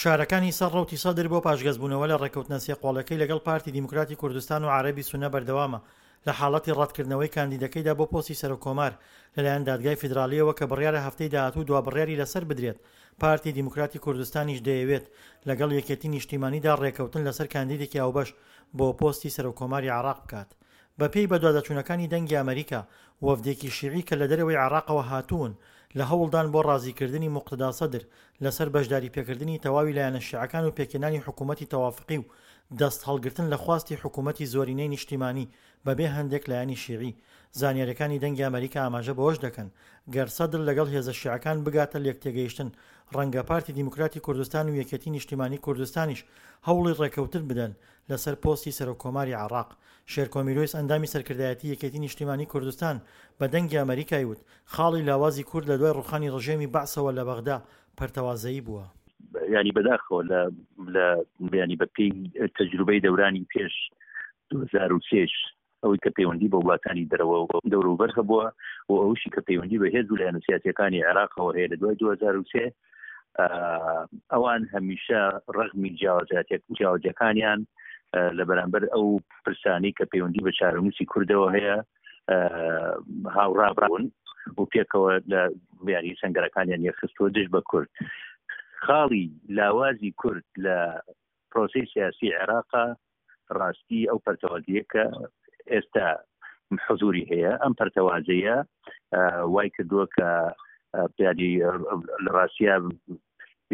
فشارەکانی سەر ڕەوتی سەدر بۆ پاشگەزبوونەوە لە ڕێککەوتنە سێقۆڵیەکەی لەگەڵ پارتی دیموکراتی کوردستان و عەرەبی سوننە بەردەوامە لە حاڵەتی ڕەتکردنەوەی کاندیدەکەیدا بۆ پۆستی سەرۆککۆمار لەلایەن دادگای فیدراڵییەوە کە بڕیارە هەفتەی داهاتوو دوابڕیاری لەسەر بدرێت، پارتی دیموکراتی کوردستانیش دەیەوێت لەگەڵ یەکێتی نیشتیمانیدا ڕێککەوتن لەسەر کاندیدێکی هاوبەش بۆ پۆستی سەرۆککۆماری عێراق بکات. بەپێی بەدواداچوونەکانی دەنگی ئەمەریکا، وەفدێکی شیعی کە لە دەرەوەی عێراقەوە هاتوون لە هەوڵدان بۆ ڕازیکردنی موقتەدا سەدر لەسەر بەشداریپێکردنی تەواوی لایەنە شیعەکان و پێکهێنانی حکوومەتی تەوافقی و دەست هەڵگرتن لە خواستی حکوومەتی زۆرینەی نیشتیمانی بەبێ هەندێک لایەنی شیعی. زانیاریەکانی دەنگی ئەمەریکا ئاماژە بەوەش دەکەن، گەر سەدر لەگەڵ هێزە شیعەکان بگاتە لێکتێگەیشتن ڕەنگە پارتی دیموکراتی کوردستان و یەکێتی نیشتیمانی کوردستانیش هەوڵی ڕێکەوتن بدەن لەسەر پۆستی سەرۆک کۆماری عێڕاق. شێرکۆ میرۆیس ئەندامی سەرکردایەتی یەکێتی نیشتیمانی کوردستان بە دەنگی ئەمەریکای وت، خاڵی لاوازی کورد لە دوای ڕوخانی ڕژێمی بەعسەوە لە بەغدا پەرتەوازەیی بووە. یانی بەداخەوە لە لە یانی بە پێی تەجروبەی دەورانی پێش 2003 ئەوەی کە پەیوەندی بە وڵاتانی دەرەوە و دەوروبەر هەبووە و ئەوشی کە پەیوەندی بە هێز و لایەنە سیاسیەکانی عێراقەوە هەیە لە دوای 2003 ئەوان هەمیشە ڕەغمی جیاوازاتێک جیاوازەکانیان لە بەرامبەر ئەو پرسانی کە پەیوەندی بە چارەنووسی کوردەوە هەیە هاوڕابوون و پێکەوە لە بیانی سنگەرەکانیان یەکخستووە دژ بە کورد خاڵی لاوازی کورد لە پرۆسی سیاسی عێراقا ڕاستی ئەو پەرتەوازیە کە ئێستا حزوری هەیە ئەم پەرتەوازەیە وای کردووە کە بیانی لە ڕاستە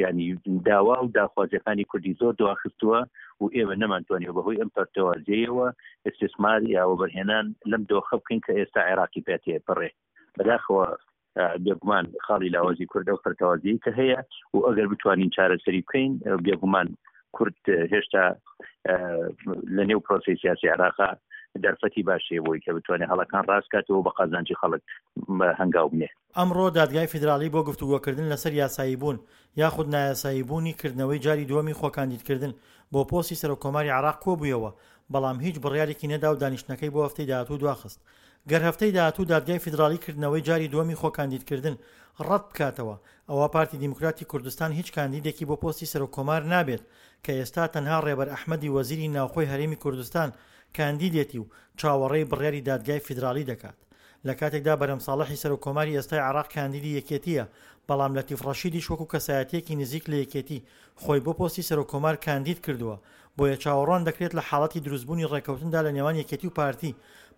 ینی داوا و داخوازیەکانی کوردی زۆر دواخستووە و ئێمە نەمانتوانیوە بەهۆی ئەم پەرتەوازیەوە استثمار یا وەبەرهێنان لەم دۆخە بکەین کە ئێستا عێراقی پێ تێپەڕێ بەداخەوە بێگومان خاڵی لاوازی کورد ئەو پەرتەوازیی کە هەیە و ئەگەر بتوانین چارەسەری بکەین بێگومان کورد هێشتا لە نێو پرۆسی سیاسی عێراقا دەرفەتی باشەیە بۆی کە بتوانێت هەڵەکان ڕاستکاتەوە بە قازانجی خەڵک هەنگاو بنێ. ئەمڕۆ دادگای فیدراڵی بۆ گفتوگۆکردن لەسەر یاساییبوون یاخود نایاساییبوونی کردنەوەی جاری دووەمی خۆکاندیدکردن بۆ پۆستی سەرۆککۆماری عێراق کۆبوویەوە، بەڵام هیچ بڕیارێکی نەدا و دانیشتنەکەی بۆ هەفتەی داهاتوو دواخست. گەر هەفتەی داهاتوو دادگای فیدراڵی کردنەوەی جاری دووەمی خۆکاندیدکردن ڕەت بکاتەوە، ئەوا پارتی دیموکراتی کوردستان هیچ کاندیدێکی بۆ پۆستی سەرۆککۆمار نابێت کە ئێستا تەنها ڕێبەر ئەحمەدی وەزیری ناوخۆی هەرێمی کوردستان کاندیدێتی و چاوەڕێی بڕیاری دادگای فیدراڵی دەکات. لە کاتێکدا بەرهەم ساڵحی سەرۆک کۆماری ئێستای عێراق کاندیدی یەکێتییە، بەڵام لەتیف ڕەشیدیش وەکو کەسایەتییەکی نزیک لە یەکێتی خۆی بۆ پۆستی سەرۆک کۆمار کاندید کردووە، بۆیە چاوەڕوان دەکرێت لە حاڵەتی دروستبوونی ڕێککەوتندا لە نێوان یەکێتی و پارتی،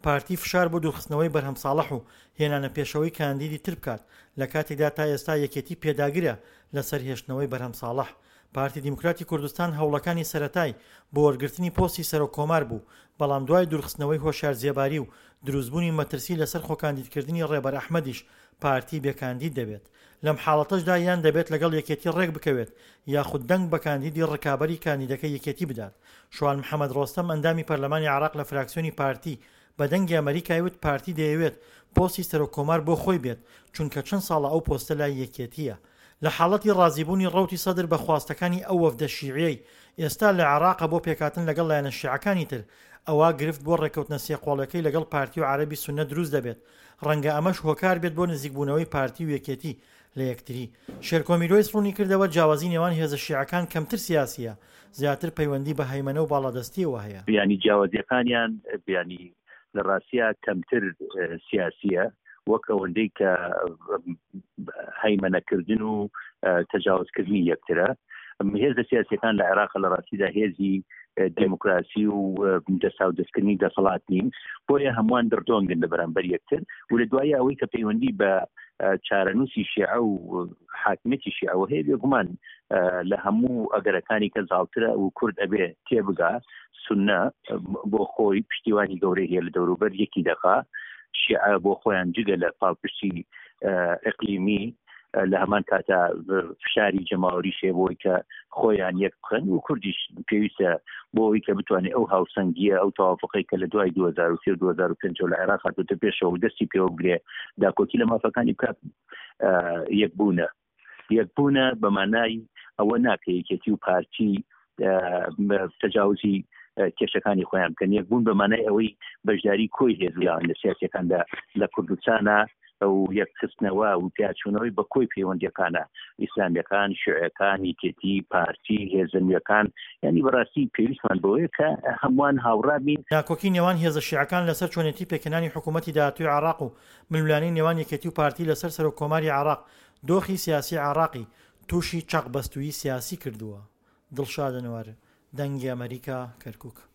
پارتی فشار بۆ دوورخستنەوەی بەرهەم ساڵح و هێنانە پێشەوەی کاندیدی تر بکات، لە کاتێکدا تا ئێستا یەکێتی پێداگرە لەسەر هێشتنەوەی بەرهەم ساڵح. پارتی دیموکراتی کوردستان هەوڵەکانی سەرەتای بۆ وەرگرتنی پۆستی سەرۆک کۆمار بوو، بەڵام دوای دوورخستنەوەی هۆشیار زێباری و دروستبوونی مەترسی لەسەر خۆکاندیدکردنی ڕێبەر ئەحمەدیش پارتی بێ کاندید دەبێت. لەم حاڵەتەشدا یان دەبێت لەگەڵ یەکێتی ڕێک بکەوێت یاخود دەنگ بە کاندیدی ڕکابەری کاندیدەکەی یەکێتی بدات. شوان محەمەد ڕۆستەم ئەندامی پەرلەمانی عێراق لە فراکسیۆنی پارتی بە دەنگی ئەمەریکای وت پارتی دەیەوێت پۆستی سەرۆک کۆمار بۆ خۆی بێت چونکە چەند ساڵە ئەو پۆستە لای یەکێتییە. لە حاڵەتی ڕازیبوونی ڕەوتی سەدر بە خواستەکانی ئەو وەفدە شیعیەی ئێستا لە عێراقە بۆ پێکهاتن لەگەڵ لایەنە شیعەکانی تر، ئەوا گرفت بۆ ڕێککەوتنە سێقۆڵیەکەی لەگەڵ پارتی و عەرەبی سوننە دروست دەبێت، ڕەنگە ئەمەش هۆکار بێت بۆ نزیکبوونەوەی پارتی و یەکێتی لە یەکتری. شێرکۆ میرۆیس ڕوونیکردەوە، جیاوازی نێوان هێزە شیعەکان کەمتر سیاسییە، زیاتر پەیوەندی بە هەیمەنە و باڵادەستییەوە هەیە. یانی جیاوازییەکانیان یانی لە ڕاستیا کەمتر سیاسییە وەک ئەوەندەی کە هەیمەنەکردن و تەجاوزکردنی یەکترە. هێزە سیاسیەکان لە عێراق لە ڕاستیدا هێزی دێموکراسی و دەستاودەستکردنی دەسەڵات نین، بۆیە هەمووان دڕدۆنگن لە بەرامبەر یەکتر و لە دوایی ئەوەی کە پەیوەندی بە چارەنووسی شیعە و حاکمیەتی شیعەوە هەیە بێگومان لە هەموو ئەگەرەکانی کە زاڵترە و کورد ئەبێ تێبگا سونە بۆ خۆی پشتیوانی گەورەی هەیە لە دەوروبەر یەکی دەخا شیعە بۆ خۆیان جگە لە پاڵپشتی ئەقلیمی لە هەمان کاتا فشاری جەماوەریش هەیە بۆی کە خۆیان یەک بخەن و کوردیش پێویستە بۆ ئەوەی کە بتوانێت ئەو هاوسەنگیە ئەو تەوافقەی کە لە دوای 2003 و 2005 لە عێراق هاتووەتە پێشەوە و دەستی پێوە بگرێ داکۆکی لە مافەکانی بکات یەکبوونە یەکبوونە بە مانای ئەوە ناکە یەکێتی و پارتی تەجاوزی کێشەکانی خۆیان بکەن یەکبوون بە مانای ئەوەی بەشداری کۆی هێزیان لە سیاسەکاندا لە کوردستانە. و یەکخستنەوە و پیاچوونەوەی بە کۆی پەیوەندیەکانە ئیسلامیەکان، شیعەکان، یەکێتی، پارتی، هێزە نوێکان، یانی بەڕاستی پێویستمان بەوەیە کە هەمووان هاوڕا بین. ناکۆکی نێوان هێزە شیعەکان لەسەر چۆنێتی پێکهێنانی حکوومەتی داهاتووی عێراق و ململانێی نێوان یەکێتی و پارتی لەسەر سەرۆک کۆماری عێراق دۆخی سیاسی عێراقی تووشی چەقبەستوویی سیاسی کردووە. دڵشاد ئەنوەر، دەنگی ئەمەریکا، کەرکوک.